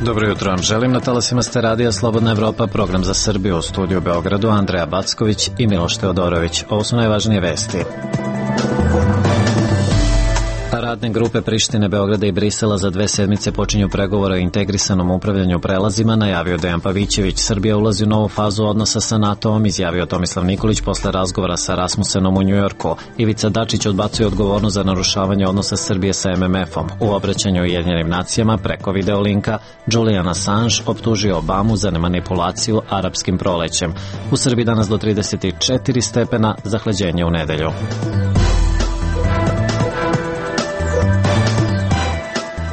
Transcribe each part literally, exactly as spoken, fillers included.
Dobro jutro vam želim. Na talasima ste radija Slobodna Evropa, program za Srbiju, u studiju u Beogradu Andreja Backović i Miloš Teodorović. Ovo su najvažnije vesti. Radne grupe Prištine, Beograda i Brisela za dve sedmice počinju pregovore o integrisanom upravljanju prelazima, najavio Dejan Pavićević. Srbija ulazi u novu fazu odnosa sa NATO-om, izjavio Tomislav Nikolić posle razgovora sa Rasmusenom u Njujorku. Ivica Dačić odbacuje odgovornost za narušavanje odnosa Srbije sa em em efom. U obraćanju Ujedinjenim nacijama preko videolinka Julian Assange optužio Obamu za manipulaciju arapskim prolećem. U Srbiji danas do trideset četiri stepena, zahlađenje u nedelju.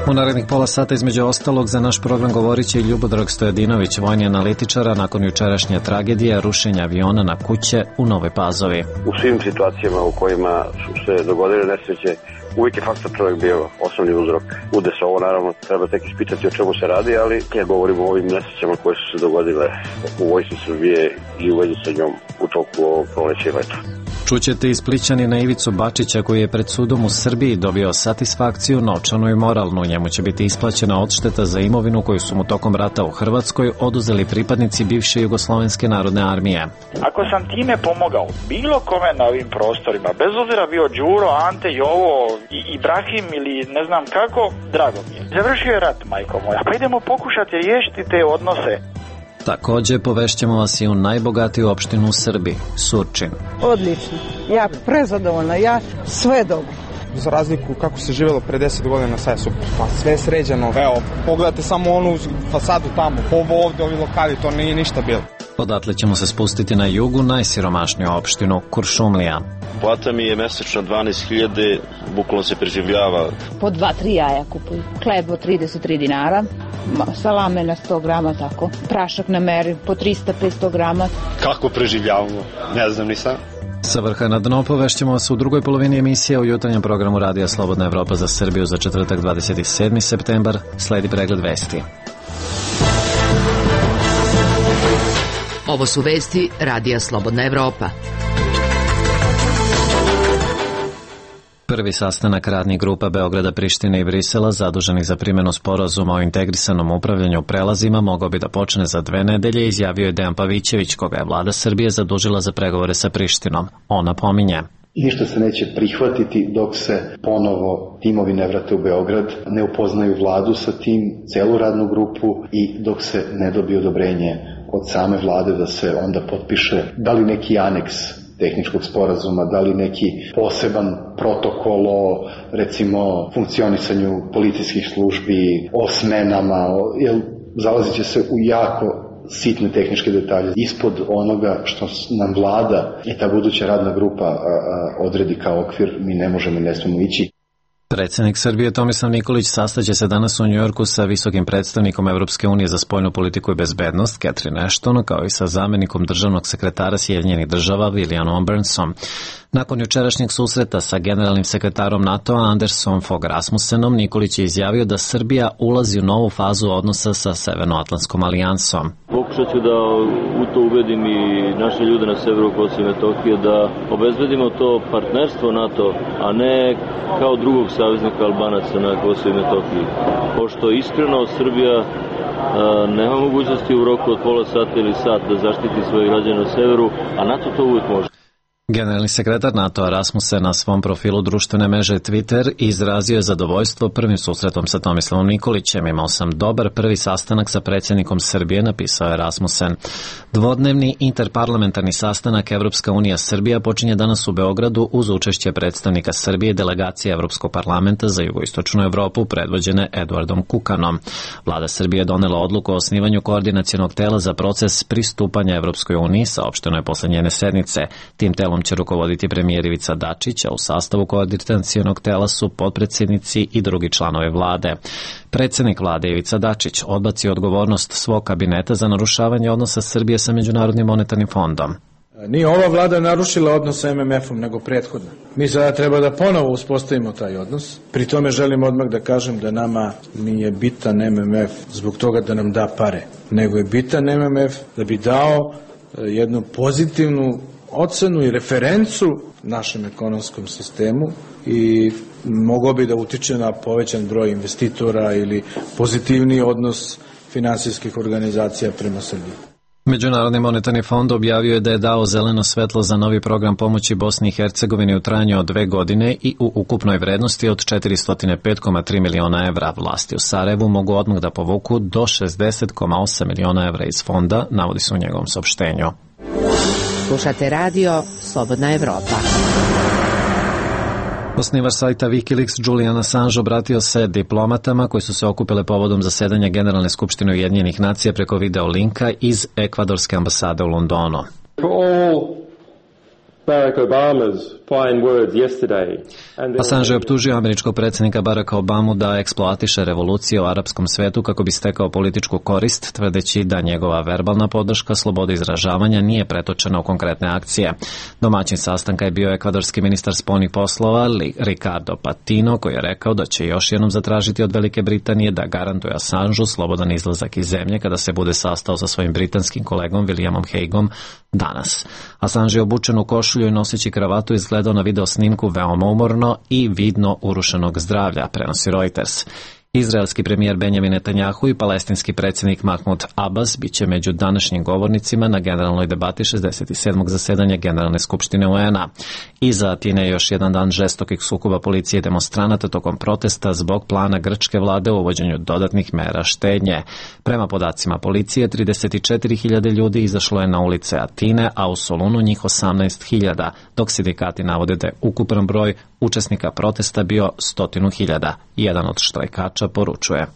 U narednih pola sata između ostalog za naš program govorit će i Ljubodrag Stojadinović, vojni analitičara, nakon jučerašnje tragedije rušenja aviona na kuće u Novoj Pazovi. U svim situacijama u kojima su se dogodile nesreće, uvijek je faktor čovjek bio osnovni uzrok. Ude se ovo, naravno, treba tek ispitati o čemu se radi, ali ja govorim o ovim nesrećama koje su se dogodile u vojsci Srbije i u vezi sa njom u toku ovog proleća i leta. Čućete i Splićanina Ivicu Bačića koji je pred sudom u Srbiji dobio satisfakciju, novčanu i moralnu. Njemu će biti isplaćena odšteta za imovinu koju su mu tokom rata u Hrvatskoj oduzeli pripadnici bivše Jugoslovenske narodne armije. Ako sam time pomogao bilo kome na ovim prostorima, bez obzira bio Đuro, Ante, Jovo, i Ibrahim ili ne znam kako, drago mi je. Završio je rat, majko moja, pa idemo pokušati riješiti te odnose. Također povešćemo vas i u najbogatiju opštinu u Srbiji, Surčin. Odlično, ja prezadovoljna, ja sve dobro. Za razliku kako se živjelo pre deset godina, sad je super. Pa sve je sređeno, evo, pogledajte samo onu fasadu tamo, ovo ovde, ovi lokali, to nije ništa bilo. Odatle ćemo se spustiti na jugu, najsiromašniju opštinu, Kuršumlija. Plata mi je mesečno dvanaest hiljada, bukvalno se preživljava. Po dva, tri jaja kupuju. Hleb od trideset tri dinara, salame na sto grama, tako. Prašak na meri po trista do petsto grama. Kako preživljavamo? Ne znam ni sam. Sa vrha na dno povešćemo vas u drugoj polovini emisije u jutarnjem programu Radija Slobodna Evropa za Srbiju za četvrtak dvadeset sedmi septembar. Sledi pregled vesti. Ovo su vesti Radija Slobodna Evropa. Prvi sastanak radnih grupa Beograda, Prištine i Brisela zaduženih za primjenu sporazuma o integrisanom upravljanju prelazima mogao bi da počne za dve nedelje, izjavio je Dejan Pavićević, koga je vlada Srbije zadužila za pregovore sa Prištinom. On napominje: ništa se neće prihvatiti dok se ponovo timovi ne vrate u Beograd, ne upoznaju vladu sa tim, celu radnu grupu, i dok se ne dobije odobrenje od same vlade da se onda potpiše da li neki aneks tehničkog sporazuma, da li neki poseban protokol o, recimo, funkcionisanju policijskih službi, o smenama, o, jer zalazit će se u jako sitne tehničke detalje. Ispod onoga što nam vlada i ta buduća radna grupa a, a, odredi kao okvir, mi ne možemo i ne smemo ići. Predsjednik Srbije Tomislav Nikolić sastaće se danas u Njujorku sa visokim predstavnikom Evropske unije za spoljnu politiku i bezbednost Catherine Ashton, kao i sa zamenikom državnog sekretara Sjedinjenih država Williamom Burnsom. Nakon jučerašnjeg susreta sa generalnim sekretarom NATO-a Andersom Fogh Rasmussenom, Nikolić je izjavio da Srbija ulazi u novu fazu odnosa sa Severnoatlantskom alijansom. Pokušat ću da u to ubedim i naše ljude na severu Kosova i Metohije da obezbedimo to partnerstvo NATO, a ne kao drugog saveznika Albanaca na Kosovu i Metohiji. Pošto iskreno Srbija a, nema mogućnosti u roku od pola sata ili sat da zaštiti svoje građane na severu, a NATO to uvijek može. Generalni sekretar NATO-a Rasmussen na svom profilu društvene mreže Twitter izrazio je zadovoljstvo prvim susretom sa Tomislavom Nikolićem. Imao sam dobar prvi sastanak sa predsjednikom Srbije, napisao je Rasmussen. Dvodnevni interparlamentarni sastanak Evropska unija Srbija počinje danas u Beogradu uz učešće predstavnika Srbije i delegacije Evropskog parlamenta za jugoistočnu Evropu predvođene Eduardom Kukanom. Vlada Srbije je donela odluku o osnivanju koordinacionog tela za proces pristupanja Evropskoj uniji, saopšteno je posle njene sednice. Tim telom će rukovoditi premijer Ivica Dačić, a u sastavu koordinacionog tela su potpredsjednici i drugi članovi vlade. Predsjednik vlade Ivica Dačić odbacio odgovornost svog kabineta za narušavanje odnosa Srbije sa Međunarodnim monetarnim fondom. Nije ova vlada narušila odnos sa em em efom, nego prethodna. Mi sada treba da ponovo uspostavimo taj odnos. Pri tome želim odmah da kažem da nama nije bitan em em ef zbog toga da nam da pare, nego je bitan em em ef da bi dao jednu pozitivnu ocenu i referencu našem ekonomskom sistemu i mogao bi da utiče na povećan broj investitora ili pozitivniji odnos finansijskih organizacija prema Srbiji. Međunarodni monetarni fond objavio je da je dao zeleno svetlo za novi program pomoći Bosni i Hercegovini u trajanju od dve godine i u ukupnoj vrednosti od četiristo pet zarez tri miliona evra. Vlasti u Sarajevu mogu odmah da povuku do šezdeset zarez osam miliona evra iz fonda, navodi se u njegovom saopštenju. Slušate radio Slobodna Evropa. Osnivač sajta Wikileaks Julian Assange obratio se diplomatama koji su se okupile povodom zasedanja Generalne skupštine Ujedinjenih nacija preko video linka iz ekvadorske ambasade u Londonu. Barack Obama's fine words yesterday. Assange je optužio američkog predsjednika Baracka Obamu da eksploatiše revolucije u arapskom svetu kako bi stekao političku korist, tvrdeći da njegova verbalna podrška slobode izražavanja nije pretočena u konkretne akcije. Domaćin sastanka je bio ekvadorski ministar spoljnih poslova Ricardo Patino, koji je rekao da će još jednom zatražiti od Velike Britanije da garantuje Assangeu slobodan izlazak iz zemlje kada se bude sastao sa svojim britanskim kolegom Williamom Hagueom danas. Assange je obučen u košulju i noseći kravatu izgledao na video snimku veoma umorno i vidno urušenog zdravlja, prenosi Reuters. Izraelski premijer Benjamin Netanjahu i palestinski predsjednik Mahmud Abbas biće među današnjim govornicima na generalnoj debati šezdeset sedmog zasedanja Generalne skupštine U N A. Iza Atine je još jedan dan žestokih sukoba policije i demonstranata tokom protesta zbog plana grčke vlade o uvođenju dodatnih mera štednje. Prema podacima policije, trideset četiri hiljade ljudi izašlo je na ulice Atine, a u Solunu njih osamnaest hiljada, dok sindikati navode da je ukupan broj učesnika protesta bio stotinu hiljada. Jedan od štrajkača poručuje: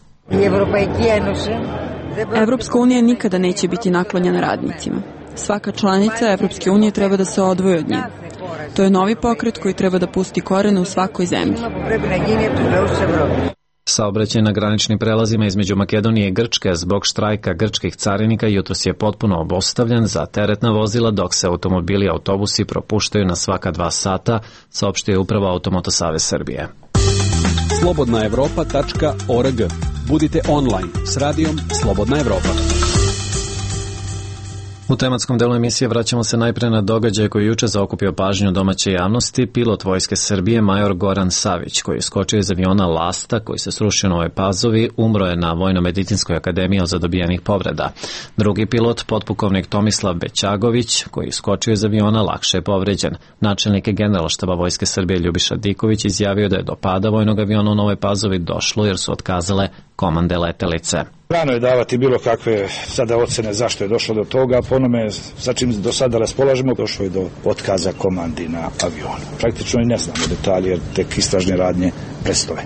Evropska unija nikada neće biti naklonjena radnicima. Svaka članica Evropske unije treba da se odvoji od nje. To je novi pokret koji treba da pusti korene u svakoj zemlji. Saobraćaj na graničnim prelazima između Makedonije i Grčke zbog štrajka grčkih carinika jutros je potpuno obustavljen za teretna vozila, dok se automobili i autobusi propuštaju na svaka dva sata, saopštio je upravo Automoto Savez Srbije. slobodna evropa tačka org. Budite online s radijom Slobodna Evropa. U tematskom delu emisije vraćamo se najpre na događaj koji je juče zaokupio pažnju domaće javnosti. Pilot Vojske Srbije, major Goran Savić, koji je skočio iz aviona Lasta, koji se srušio u Novoj Pazovi, umro je na Vojno-medicinskoj akademiji od zadobijenih povreda. Drugi pilot, potpukovnik Tomislav Bećagović, koji je skočio iz aviona, lakše je povređen. Načelnik Generalštaba Vojske Srbije Ljubiša Diković izjavio da je do pada vojnog aviona u Novoj Pazovi došlo jer su otkazale komande letelice. Rano je davati bilo kakve sada ocene zašto je došlo do toga, po onome sa čim do sada raspolažemo, došlo je do otkaza komandi na avionu. Praktično i ne znamo detalje jer tek istražne radnje predstoje.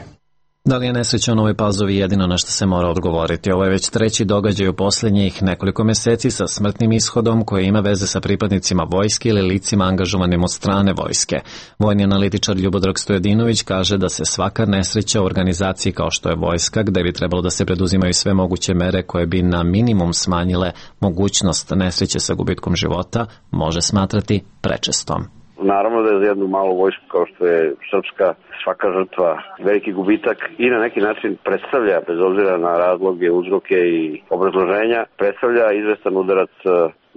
Da li je nesreća u Novoj Pazovi jedino na što se mora odgovoriti? Ovo je već treći događaj u posljednjih nekoliko meseci sa smrtnim ishodom koji ima veze sa pripadnicima vojske ili licima angažovanim od strane vojske. Vojni analitičar Ljubodrag Stojadinović kaže da se svaka nesreća u organizaciji kao što je vojska, gde bi trebalo da se preduzimaju sve moguće mere koje bi na minimum smanjile mogućnost nesreće sa gubitkom života, može smatrati prečestom. Naravno da je za jednu malu vojsku kao što je srpska svaka žrtva veliki gubitak i na neki način predstavlja, bez obzira na razloge, uzroke i obrazloženja, predstavlja izvestan udarac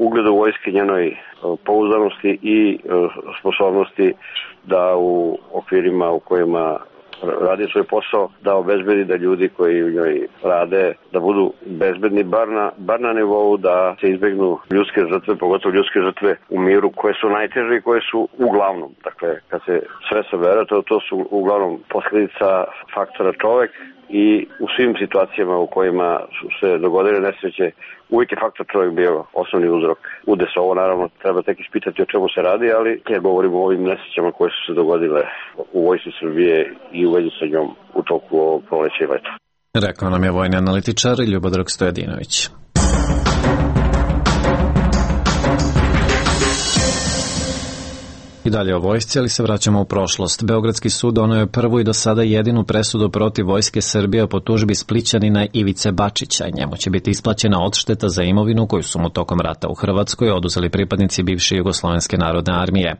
ugledu vojske, njenoj pouzdanosti i sposobnosti da u okvirima u kojima radi svoj posao, da obezbedi da ljudi koji u njoj rade da budu bezbedni bar na, bar na nivou da se izbegnu ljudske žrtve, pogotovo ljudske žrtve u miru koje su najteže i koje su uglavnom, dakle kad se sve sabere, to, to su uglavnom posljedica faktora čovek i u svim situacijama u kojima su se dogodile nesreće uvijek je faktor čovjek bio osnovni uzrok. Ude se ovo naravno treba tek ispitati o čemu se radi, ali ja govorim o ovim nesrećama koje su se dogodile u vojsci Srbije i u vezi sa njom u toku ovog proleća i leta. Rekao nam je vojni analitičar Ljubodrag Stojadinović. I dalje o vojsci, ali se vraćamo u prošlost. Beogradski sud doneo je prvu i do sada jedinu presudu protiv Vojske Srbije po tužbi Splićanina Ivice Bačića. Njemu će biti isplaćena odšteta za imovinu koju su mu tokom rata u Hrvatskoj oduzeli pripadnici bivše Jugoslovenske narodne armije.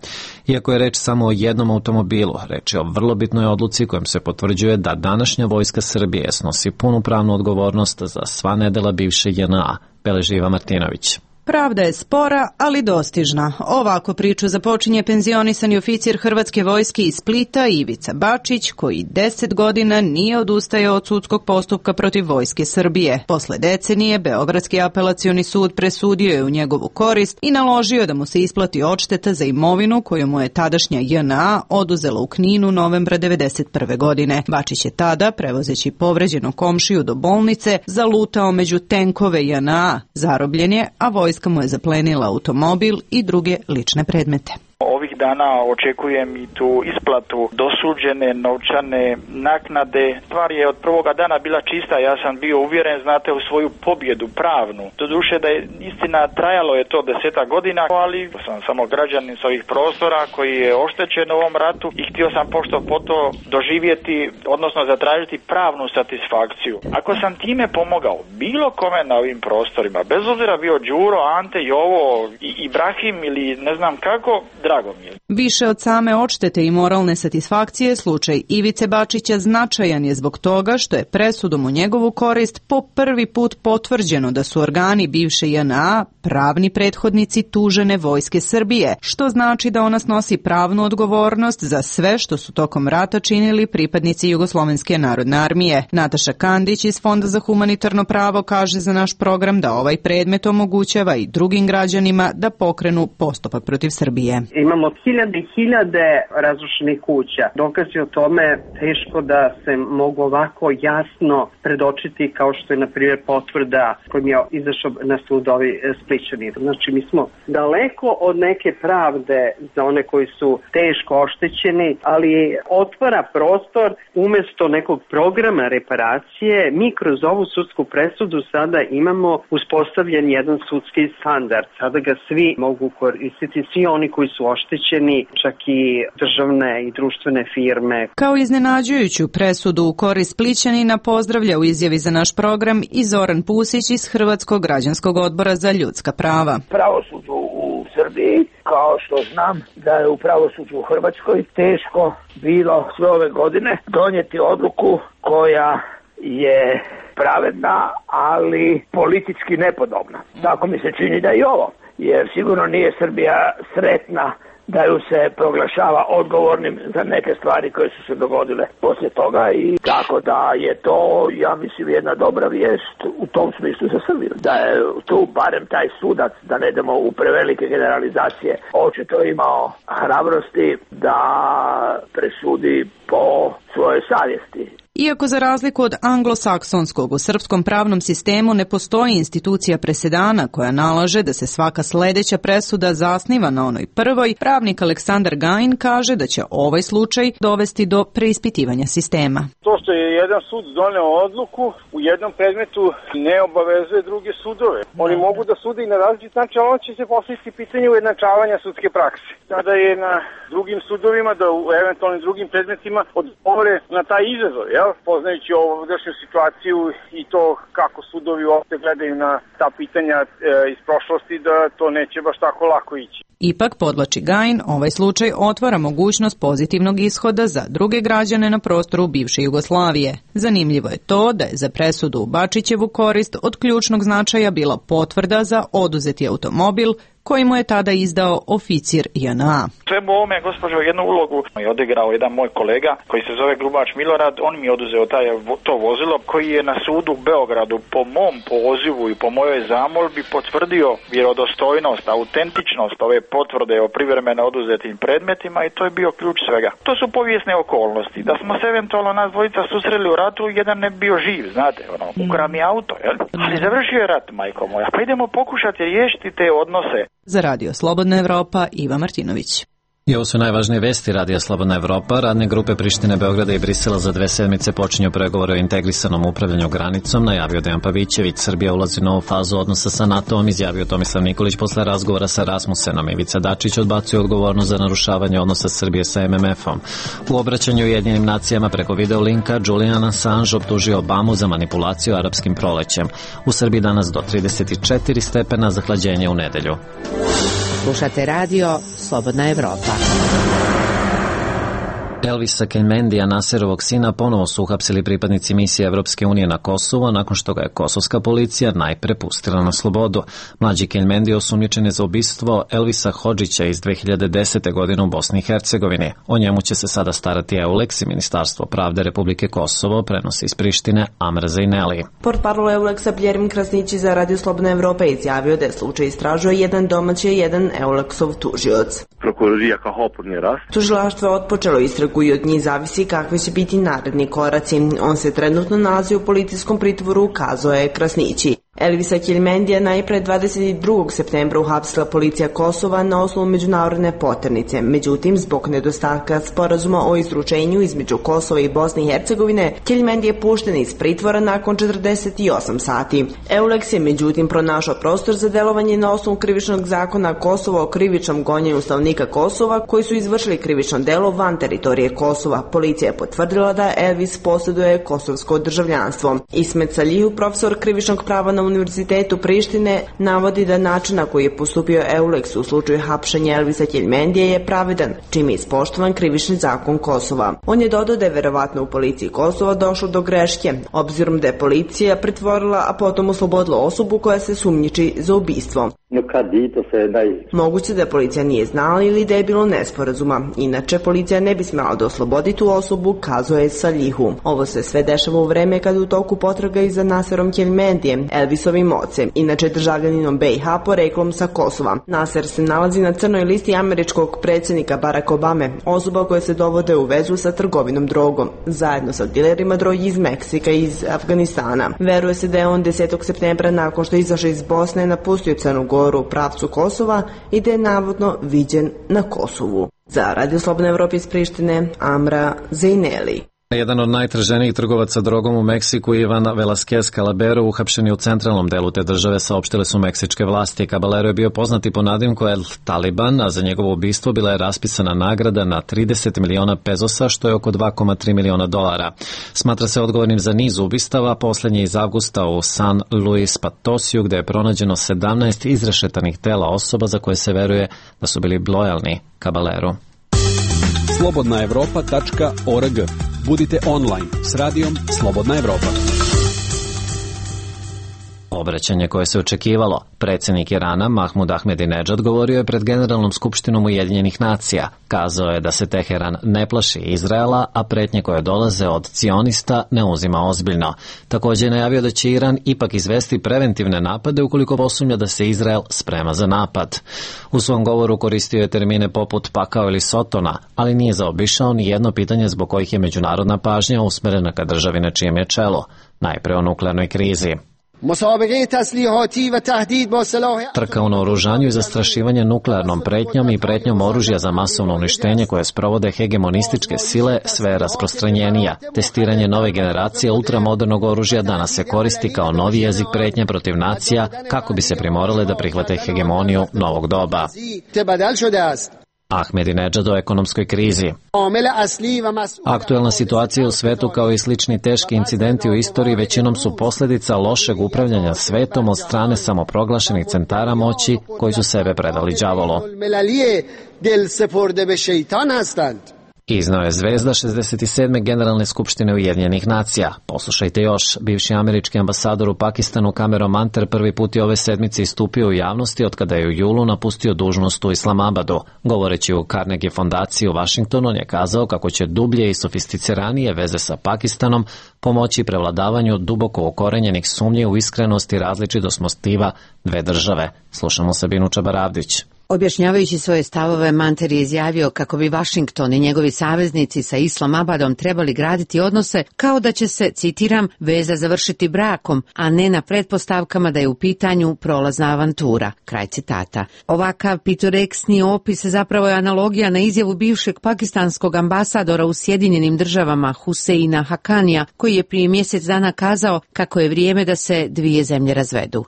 Iako je reč samo o jednom automobilu, reč je o vrlo bitnoj odluci kojom se potvrđuje da današnja Vojska Srbije snosi punu pravnu odgovornost za sva nedela bivše J N A, beleži Iva Martinović. Pravda je spora, ali dostižna. Ovako priču započinje penzionisani oficir Hrvatske vojske iz Splita Ivica Bačić, koji deset godina nije odustajao od sudskog postupka protiv Vojske Srbije. Posle decenije, Beogradski apelacioni sud presudio je u njegovu korist i naložio da mu se isplati odšteta za imovinu koju mu je tadašnja J N A oduzela u Kninu novembra devedeset prve godine. Bačić je tada, prevozeći povređenu komšiju do bolnice, zalutao među tenkove J N A. Zarobljen je, a vojska mu je zaplenila automobil i druge lične predmete. Ovih dana očekujem i tu isplatu dosuđene novčane naknade. Stvar je od prvoga dana bila čista, ja sam bio uvjeren, znate, u svoju pobjedu pravnu. Doduše da je istina, trajalo je to desetak godina, ali sam samo građanin s ovih prostora koji je oštećen u ovom ratu i htio sam pošto po to doživjeti, odnosno zatražiti pravnu satisfakciju. Ako sam time pomogao bilo kome na ovim prostorima, bez obzira bio Đuro, Ante, Jovo, Ibrahim ili ne znam kako, drago mi je. Više od same odštete i moralne satisfakcije, slučaj Ivice Bačića značajan je zbog toga što je presudom u njegovu korist po prvi put potvrđeno da su organi bivše J N A pravni prethodnici tužene Vojske Srbije, što znači da ona snosi pravnu odgovornost za sve što su tokom rata činili pripadnici Jugoslovenske narodne armije. Nataša Kandić iz Fonda za humanitarno pravo kaže za naš program da ovaj predmet omogućava i drugim građanima da pokrenu postupak protiv Srbije. Imamo hiljade i hiljade razrušenih kuća. Dokazi o tome teško da se mogu ovako jasno predočiti kao što je na primjer potvrda kojim je izašao na sud ovi Splićani. Znači mi smo daleko od neke pravde za one koji su teško oštećeni, ali otvara prostor umjesto nekog programa reparacije. Mi kroz ovu sudsku presudu sada imamo uspostavljen jedan sudski standard. Sada ga svi mogu koristiti, svi oni koji su oštećeni, čak i državne i društvene firme. Kao iznenađujuću presudu u korist Splićanina pozdravlja u izjavi za naš program i Zoran Pusić iz Hrvatskog građanskog odbora za ljudska prava. Pravosuđu u Srbiji, kao što znam da je u pravosuđu u Hrvatskoj teško bilo sve ove godine donijeti odluku koja je pravedna, ali politički nepodobna. Tako mi se čini da i ovo, jer sigurno nije Srbija sretna da ju se proglašava odgovornim za neke stvari koje su se dogodile poslije toga i tako da je to, ja mislim, jedna dobra vijest u tom smislu za Srbiju. Da je tu barem taj sudac, da ne idemo u prevelike generalizacije, očito imao hrabrosti da presudi po svojoj savjesti. Iako za razliku od anglosaksonskog u srpskom pravnom sistemu ne postoji institucija presedana koja nalaže da se svaka sledeća presuda zasniva na onoj prvoj, pravnik Aleksandar Gajin kaže da će ovaj slučaj dovesti do preispitivanja sistema. To što je jedan sud doneo odluku u jednom predmetu ne obavezuje druge sudove. Oni mogu da sude i na različit način, ali on će se postaviti pitanje ujednačavanja sudske prakse. Sada je na drugim sudovima da u eventualnim drugim predmetima odgovore na taj izazov, jel? Poznajući ovogdašnju situaciju i to kako sudovi uopšte gledaju na ta pitanja e, iz prošlosti, da to neće baš tako lako ići. Ipak, podlači Gajin, ovaj slučaj otvara mogućnost pozitivnog ishoda za druge građane na prostoru bivše Jugoslavije. Zanimljivo je to da je za presudu u Bačićevu korist od ključnog značaja bila potvrda za oduzeti automobil koji mu je tada izdao oficir J N A. Svemu ovome, gospođo, jednu ulogu je odigrao jedan moj kolega koji se zove Grubač Milorad. On mi je oduzeo taj, to vozilo koji je na sudu u Beogradu po mom pozivu i po mojoj zamolbi potvrdio vjerodostojnost, autentičnost ove potvrde o privremeno oduzetim predmetima i to je bio ključ svega. To su povijesne okolnosti. Da smo se eventualno nas dvojica susreli u ratu, jedan ne bi bio živ, znate, ono, ukra mi auto, jel? Ali završio je rat, majko moja. Pa idemo pokušati riješiti te odnose. Za Radio Slobodna Evropa, Iva Martinović. I ovo su najvažnije vesti Radija Slobodna Evropa. Radne grupe Prištine, Beograda i Brisela za dve sedmice počinju pregovore o integrisanom upravljanju granicom, najavio Dejan Pavićević. Srbija ulazi u novu fazu odnosa sa NATO-om, izjavio Tomislav Nikolić posle razgovora sa Rasmusenom. Ivica Dačić odbacuje odgovornost za narušavanje odnosa Srbije sa M M F-om. U obraćanju Ujedinjenim nacijama preko videolinka Julian Assange optužio Obamu za manipulaciju arapskim prolećem. U Srbiji danas do trideset četiri stepena, zahlađenje u nedelju. Slušate radio Slobodna Evropa. Elvisa Kelmendija, Naserovog sina, ponovo su uhapsili pripadnici misije Evropske unije na Kosovo nakon što ga je kosovska policija najpre pustila na slobodu. Mlađi Kelmendi osumnjičen je za ubistvo Elvisa Hodžića iz dve hiljade desete. godine u Bosni i Hercegovini. O njemu će se sada starati Euleks i Ministarstvo pravde Republike Kosovo, prenosi iz Prištine Amra Zejneli. Portparol Euleksa Bljerim Krasnići za Radio Slobodna Evropa izjavio da je slučaj istražuje jedan domaći i jedan Euleksov tužioc. Tužilaštvo je otpočelo istragu i od njih zavisi kakvi će biti naredni koraci. On se trenutno nalazi u policijskom pritvoru, kazao je Krasnići. Elvisa Kelmendija najpre dvadeset drugog septembra uhapsila policija Kosova na osnovu međunarodne poternice. Međutim, zbog nedostatka sporazuma o izručenju između Kosova i Bosne i Hercegovine, Kelmendija je pušten iz pritvora nakon četrdeset osam sati. Euleks je međutim pronašao prostor za delovanje na osnovu krivičnog zakona Kosova o krivičnom gonjenju stanovnika Kosova koji su izvršili krivično delo van teritorije Kosova. Policija je potvrdila da Elvis posjeduje kosovsko državljanstvo. Ismet Salihu, profesor krivičnog prava na Univerzitetu Prištine, navodi da način na koji je postupio Euleks u slučaju hapšenja Elvisa Kelmendije je pravedan, čime je ispoštovan krivični zakon Kosova. On je dodao da je verovatno u policiji Kosova došlo do greške, obzirom da je policija pritvorila, a potom oslobodila osobu koja se sumnjiči za ubistvo. Moguće da policija nije znala ili da je bilo nesporazuma. Inače, policija ne bi smela da oslobodi tu osobu, kazao je Salihu. Ovo se sve dešava u vreme kada u toku potraga i za Naserom Kelmendijem, Elvisovim ocem, inače državljaninom B i H poreklom sa Kosova. Naser se nalazi na crnoj listi američkog predsjednika Barack Obame, osoba koje se dovode u vezu sa trgovinom drogom, zajedno sa dilerima drogi iz Meksika i iz Afganistana. Veruje se da je on desetog septembra nakon što je izašao iz Bosne napustio Crnu Goru u pravcu Kosova i da je navodno viđen na Kosovu. Za Radio Slobodna Evropa iz Prištine, Amra Zejneli. Jedan od najtraženijih trgovaca drogom u Meksiku, Ivan Velasquez Calabero, uhapšen je u centralnom delu te države, saopštile su meksičke vlasti. Caballero je bio poznati po nadimku El Taliban, a za njegovo ubistvo bila je raspisana nagrada na trideset miliona pezosa, što je oko dva zarez tri miliona dolara. Smatra se odgovornim za niz ubistava, posljednji iz avgusta u San Luis Potosiju, gde je pronađeno sedamnaest izrešetanih tela osoba za koje se veruje da su bili lojalni Caballeru. slobodna evropa tačka org. Budite online s radijom Slobodna Evropa. Obraćanje koje se očekivalo. Predsjednik Irana Mahmud Ahmedinedžad govorio je pred Generalnom skupštinom Ujedinjenih nacija. Kazao je da se Teheran ne plaši Izraela, a pretnje koje dolaze od cionista ne uzima ozbiljno. Također je najavio da će Iran ipak izvesti preventivne napade ukoliko posumnja da se Izrael sprema za napad. U svom govoru koristio je termine poput pakao ili sotona, ali nije zaobišao ni jedno pitanje zbog kojih je međunarodna pažnja usmerena ka državi na čijem je čelo, najpre o nuklearnoj krizi. Trka u naoružanju i zastrašivanje nuklearnom pretnjom i pretnjom oružja za masovno uništenje koje sprovode hegemonističke sile sve je rasprostranjenija. Testiranje nove generacije ultramodernog oružja danas se koristi kao novi jezik pretnje protiv nacija kako bi se primorale da prihvate hegemoniju novog doba. Ahmedinedžad o ekonomskoj krizi. Aktuelna situacija u svetu kao i slični teški incidenti u istoriji većinom su posljedica lošeg upravljanja svetom od strane samoproglašenih centara moći koji su sebe predali đavolu. Iznao je zvezda šezdeset sedme Generalne skupštine Ujedinjenih nacija. Poslušajte još, bivši američki ambasador u Pakistanu Cameron Manter prvi put je ove sedmice istupio u javnosti od kada je u julu napustio dužnost u Islamabadu. Govoreći u Carnegie fondaciji u Washingtonu, on je kazao kako će dublje i sofisticiranije veze sa Pakistanom pomoći prevladavanju duboko ukorenjenih sumnji u iskrenost i različitost motiva dve države. Slušamo Sabinu Čabaravdić. Objašnjavajući svoje stavove, Manter je izjavio kako bi Washington i njegovi saveznici sa Islamabadom trebali graditi odnose kao da će se, citiram, veza završiti brakom, a ne na pretpostavkama da je u pitanju prolazna avantura. Kraj citata. Ovakav pitoreksni opis zapravo je analogija na izjavu bivšeg pakistanskog ambasadora u Sjedinjenim državama Huseina Hakanija, koji je prije mjesec dana kazao kako je vrijeme da se dvije zemlje razvedu.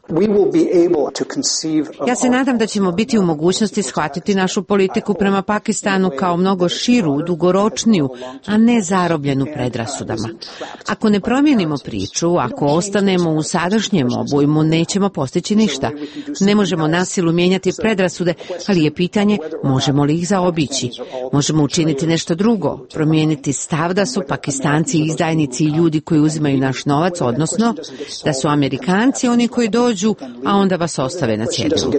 Ja se nadam da ćemo biti u mogućnosti mogućnosti shvatiti našu politiku prema Pakistanu kao mnogo širu, dugoročniju, a ne zarobljenu predrasudama. Ako ne promijenimo priču, ako ostanemo u sadašnjem obujmu, nećemo postići ništa. Ne možemo na silu mijenjati predrasude, ali je pitanje možemo li ih zaobići. Možemo učiniti nešto drugo, promijeniti stav da su Pakistanci izdajnici i ljudi koji uzimaju naš novac, odnosno da su Amerikanci oni koji dođu, a onda vas ostave na cjedilu.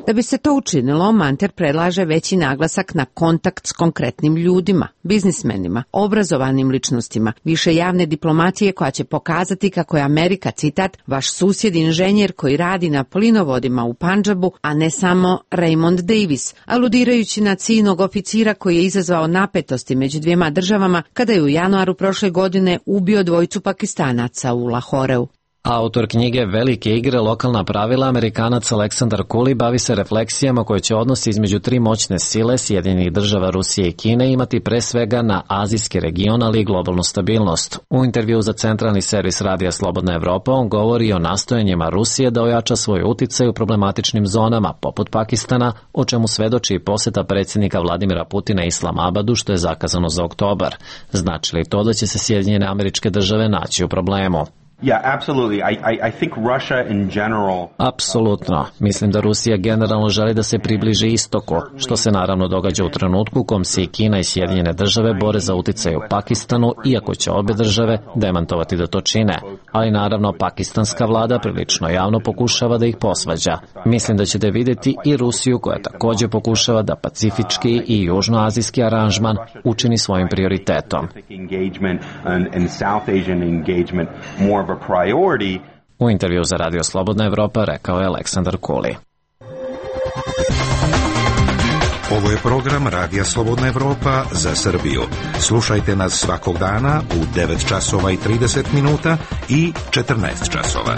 Da bi se to učinilo, Manter predlaže veći naglasak na kontakt s konkretnim ljudima, biznismenima, obrazovanim ličnostima, više javne diplomatije koja će pokazati kako je Amerika, citat, vaš susjed inženjer koji radi na plinovodima u Pandžabu, a ne samo Raymond Davis, aludirajući na ciljnog oficira koji je izazvao napetosti među dvijema državama kada je u januaru prošle godine ubio dvojicu Pakistanaca u Lahoreu. Autor knjige Velike igre, lokalna pravila, Amerikanac Aleksandar Kuli bavi se refleksijama koje će odnosi između tri moćne sile, Sjedinjenih država, Rusije i Kine, imati pre svega na azijski region, ali i globalnu stabilnost. U intervju za centralni servis radija Slobodna Evropa on govori o nastojanjima Rusije da ojača svoj uticaj u problematičnim zonama, poput Pakistana, o čemu svedoči i poseta predsjednika Vladimira Putina Islamabadu, što je zakazano za oktobar. Znači li to da će se Sjedinjene Američke Države naći u problemu? Yeah, absolutely. I, I, I think Russia in general... Apsolutno. Mislim da Rusija generalno želi da se približi istoku, što se naravno događa u trenutku u kom se i Kina i Sjedinjene države bore za uticaj u Pakistanu, iako će obe države demantovati da to čine. Ali naravno pakistanska vlada prilično javno pokušava da ih posvađa. Mislim da ćete vidjeti i Rusiju koja također pokušava da pacifički i južnoazijski aranžman učini svojim prioritetom. U intervju za Radio Slobodna Evropa rekao je Aleksandar Kuli. Ovo je program Radija Slobodna Evropa za Srbiju. Slušajte nas svakog dana u devet časova i trideset minuta i četrnaest časova.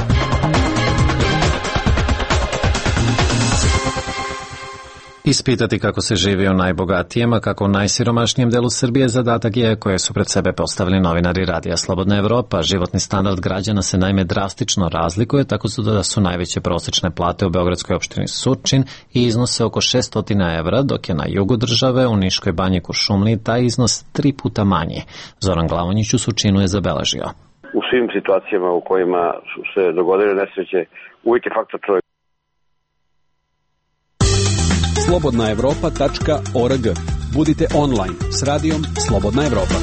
Ispitati kako se živi u najbogatijem, a kako u najsiromašnijem delu Srbije zadatak je koje su pred sebe postavili novinari Radija Slobodna Evropa. Životni standard građana se naime drastično razlikuje, tako su da su najveće prosječne plate u beogradskoj opštini Surčin i iznose oko šesto evra, dok je na jugu države u Niškoj banji Kuršumliji taj iznos tri puta manji. Zoran Glavonjić u Surčinu je zabeležio. U svim situacijama u kojima su se dogodile nesreće, uvijek je faktor čovjek. slobodna evropa tačka org. Budite online s radijom Slobodna Evropa.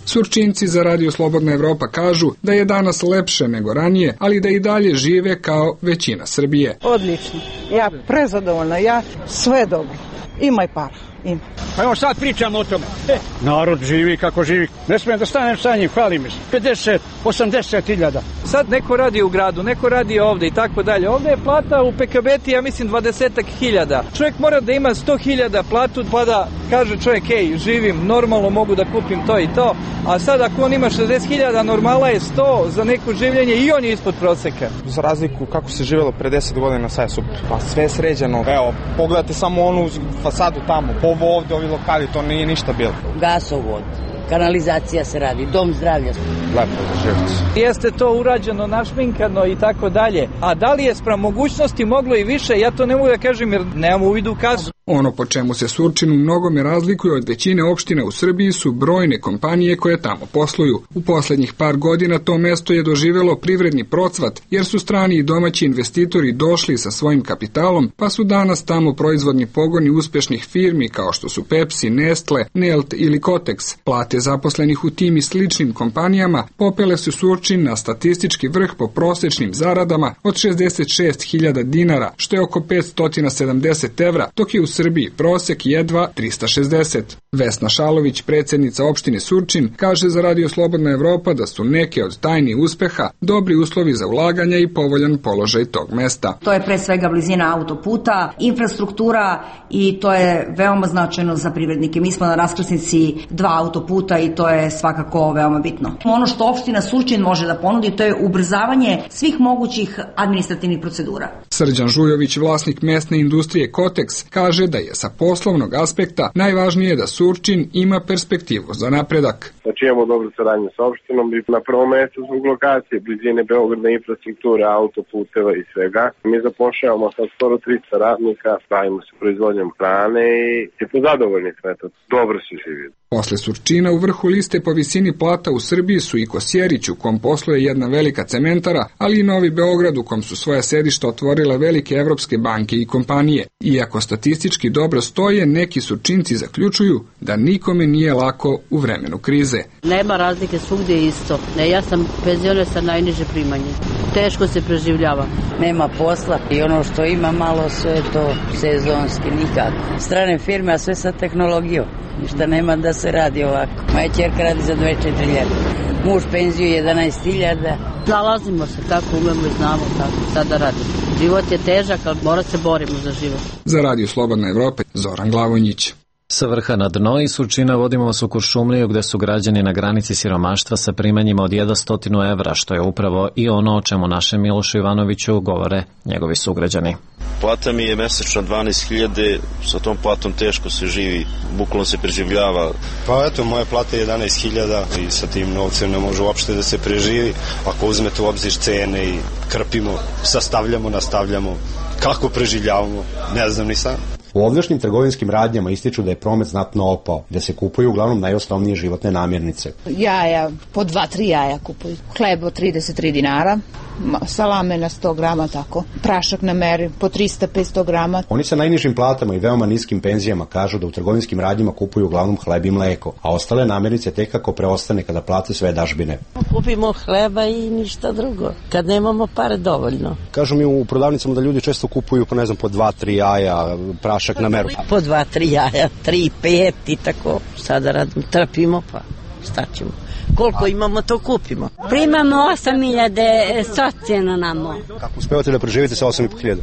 Surčinci za Radio Slobodna Evropa kažu da je danas lepše nego ranije, ali da i dalje žive kao većina Srbije. Odlično. Ja prezadovoljna, ja sve dobro. Imaj para. Ima. Pa evo sad pričamo o tome. E, narod živi kako živi. Ne smijem da stanem sa njim, hvali mi se. pedeset, osamdeset hiljada. Sad neko radi u gradu, neko radi ovde i tako dalje. Ovde je plata u P K B T, ja mislim, dvadesetak hiljada. Čovjek mora da ima sto hiljada platu, pa da kaže čovjek, ej, živim, normalno mogu da kupim to i to. A sad ako on ima šezdeset hiljada, normala je sto za neko življenje i on je ispod proseka. Za razliku kako se živjelo pre deset godina, sad je super. Pa sve je sređeno. Evo, pogledajte samo onu fasadu tamo. Ovo ovde, ovi lokali, to nije ništa bilo. Gasovod, kanalizacija se radi, dom zdravlja. Lepo za živjeti. Jeste to urađeno, našminkano i tako dalje. A da li je spram mogućnosti moglo i više, ja to ne mogu da kažem jer nemam uvidu u kasu. Ono po čemu se Surčin u mnogome razlikuje od većine opština u Srbiji su brojne kompanije koje tamo posluju. U poslednjih par godina to mesto je doživelo privredni procvat jer su strani i domaći investitori došli sa svojim kapitalom, pa su danas tamo proizvodni pogoni uspešnih firmi kao što su Pepsi, Nestle, Nelt ili Kotex. Plate zaposlenih u tim i sličnim kompanijama popele su Surčin na statistički vrh po prosečnim zaradama od šezdeset šest hiljada dinara, što je oko petsto sedamdeset evra, dok je u Srbiji prosek jedva trista šezdeset. Vesna Šalović, predsjednica opštine Surčin, kaže za Radio Slobodna Evropa da su neke od tajni uspeha dobri uslovi za ulaganja i povoljan položaj tog mesta. To je pre svega blizina autoputa, infrastruktura i to je veoma značajno za privrednike. Mi smo na raskrsnici dva autoputa i to je svakako veoma bitno. Ono što opština Surčin može da ponudi, to je ubrzavanje svih mogućih administrativnih procedura. Srđan Žujović, vlasnik mesne industrije Kotex, kaže da je sa poslovnog aspekta najvažnije da Surčin ima perspektivu za napredak. Znači imamo dobru saradnju sa opštinom i na prvom mjestu zbog lokacije, blizine Beograda, infrastrukture, autoputeva i svega. Mi zapošljavamo sad skoro tristo radnika, bavimo se proizvodnjom hrane i po zadovoljni sve to. Dobro se živi. Posle Surčina u vrhu liste po visini plata u Srbiji su i Kosjerić, u kom posluje jedna velika cementara, ali i Novi Beograd, u kom su svoja sedišta otvorile velike evropske banke i kompanije. Iako statistički dobro stoje, neki Surčinci zaključuju da nikome nije lako u vremenu krize. Nema razlike, svugdje isto. Ne, ja sam penzioner sa najniže primanje. Teško se preživljava. Nema posla i ono što ima malo, sve to sezonski, nikako. Strane firme, a sve sa tehnologijom. Ništa nema da se radi ovako. Moja ćerka radi za dvadeset četiri hiljade. Muž penziju jedanaest hiljada. Zalazimo se kako umemo i znamo kako sad da radimo. Život je težak, ali mora se borimo za život. Za Radio Slobodna Evropa, Zoran Glavonjić. Sa vrha na dno i Surčina vodimo vas u Kuršumliju, gde su građani na granici siromaštva sa primanjima od jedno evra, što je upravo i ono o čemu našem Milošu Ivanoviću govore njegovi sugrađani. Plata mi je mesečno dvanaest hiljada, sa tom platom teško se živi, bukvalno se preživljava. Pa eto, moja plata je jedanaest hiljada i sa tim novcem ne može uopšte da se preživi. Ako uzmete u obzir cene i krpimo, sastavljamo, nastavljamo, kako preživljavamo, ne znam ni sam. U ovdašnjim trgovinskim radnjama ističu da je promet znatno opao, da se kupuju uglavnom najosnovnije životne namirnice. Jaja, po dva, tri jaja kupuju. Hleb od trideset tri dinara, salame na sto grama, tako. Prašak na meri po trista do petsto grama. Oni sa najnižim platama i veoma niskim penzijama kažu da u trgovinskim radnjama kupuju uglavnom hleb i mleko, a ostale namirnice tek kako preostane kada plate sve dažbine. Kupimo hleba i ništa drugo, kad nemamo pare dovoljno. Kažu mi u prodavnicama da ljudi često kupuju po ne znam po dva, tri jaja, prašak na meru. Po dva, tri jaja, tri, pet i tako. Sada radimo, trpimo pa šta ćemo. Koliko imamo, to kupimo. Primamo osam hiljada socijalno namo. Kako uspevate da preživite sa osam i po hiljada?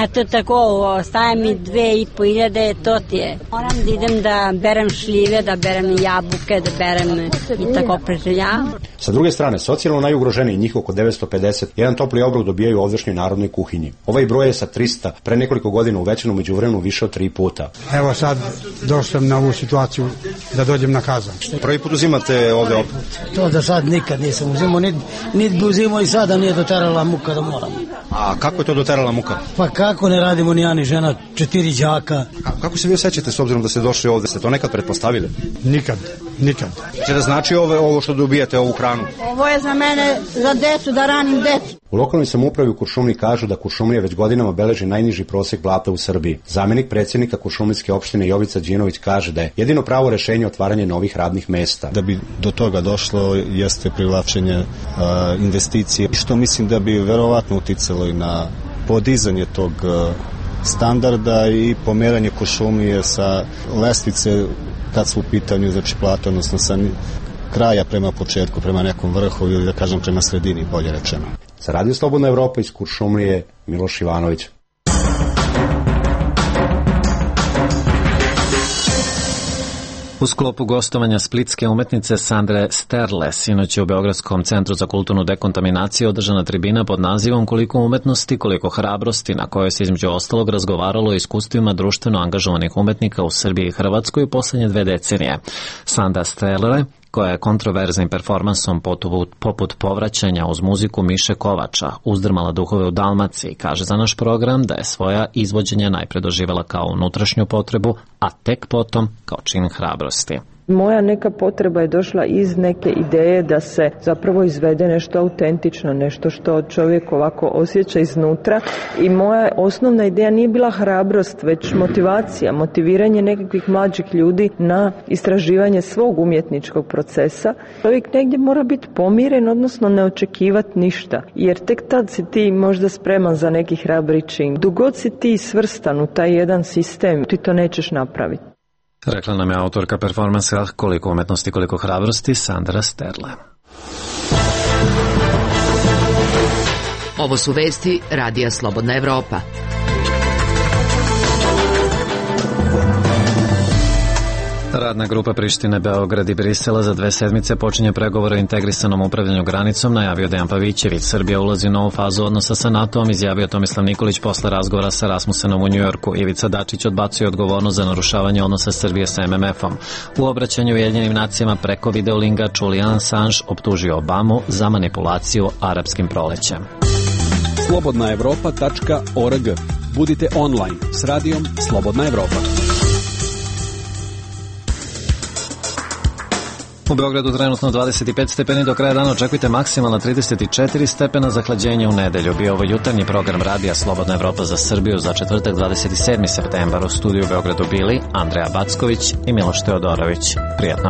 Eto tako, ostaje mi dve i po hiljade, to ti je. Moram da idem da berem šljive, da berem jabuke, da berem i tako preživljavam. Sa druge strane, socijalno najugroženiji, njih oko devetsto pedeset, jedan topli obrok dobijaju u ovdašnjoj narodnoj kuhinji. Ovaj broj je sa trista pre nekoliko godina uvećan u međuvremenu više od tri puta. Evo sad došao sam na ovu situaciju da dođem na kazan. Prvi put uzimate ovde obrok? To da sad nikad nisam uzimao, niti nit bi uzimao i sada nije doterala muka da moram. A kako je to doterala muka? Pa kako ne radimo ni ja ni žena, četiri đaka. A kako se vi osjećate s obzirom da ste došli ovde? Ste to nekad pretpostavili? Nikad, nikad. Če da znači ovo, ovo što dobijate, ovu hranu? Ovo je za mene, za decu, da ranim decu. U lokalnoj samoupravi u Kuršumliji kažu da Kuršumlija već godinama beleži najniži prosek plata u Srbiji. Zamenik predsjednika Kuršumlijske opštine Jovica Đinović kaže da je jedino pravo rešenje otvaranje novih radnih mesta. Da bi do toga došlo jeste privlačenje uh, investicije, što mislim da bi verovatno uticalo i na podizanje tog uh, standarda i pomeranje Kuršumlije sa lestvice kad su u pitanju znači plata, odnosno sa kraja prema početku, prema nekom vrhu ili da kažem prema sredini, bolje rečeno. Za Radio Slobodna Evropa iz Kuršumlije, Miloš Ivanović. U sklopu gostovanja splitske umetnice Sandre Sterle, sinoć je u Beogradskom centru za kulturnu dekontaminaciju održana tribina pod nazivom Koliko umetnosti, koliko hrabrosti, na kojoj se između ostalog razgovaralo o iskustvima društveno angažovanih umetnika u Srbiji i Hrvatskoj u poslednje dve decenije. Sandra Sterle, koja je kontroverznim performansom poput povraćanja uz muziku Miše Kovača uzdrmala duhove u Dalmaciji, kaže za naš program da je svoja izvođenja najpre doživela kao unutrašnju potrebu, a tek potom kao čin hrabrosti. Moja neka potreba je došla iz neke ideje da se zapravo izvede nešto autentično, nešto što čovjek ovako osjeća iznutra i moja osnovna ideja nije bila hrabrost, već motivacija, motiviranje nekakvih mlađih ljudi na istraživanje svog umjetničkog procesa. Čovjek negdje mora biti pomiren, odnosno ne očekivati ništa, jer tek tad si ti možda spreman za neki hrabri čin. Dok god si ti svrstan u taj jedan sistem, ti to nećeš napraviti. Rekla nam je autorka performansa Koliko umetnosti, koliko hrabrosti, Sandra Sterle. Ovo su vesti Radija Slobodna Evropa. Radna grupa Prištine, Beograd i Brisela za dve sedmice počinje pregovore o integrisanom upravljanju granicom, najavio Dejan Pavićević. Srbija ulazi u novu fazu odnosa sa NATO-om, izjavio Tomislav Nikolić posle razgovora sa Rasmussenom u Njujorku. Ivica Dačić odbacuje odgovornost za narušavanje odnosa Srbije sa em em efom. U obraćanju Ujedinjenim nacijama preko videolinga Julian Assange optužio Obamu za manipulaciju arapskim prolećem. slobodna evropa tačka org. Budite online s radijom Slobodna Evropa. U Beogradu trenutno dvadeset pet stepeni, do kraja dana očekujte maksimalna trideset četiri stepena, zahlađenje u nedelju. Bio ovo jutarnji program radija Slobodna Evropa za Srbiju za četvrtak dvadeset sedmi septembar. U studiju u Beogradu bili Andreja Backović i Miloš Teodorović. Prijetno.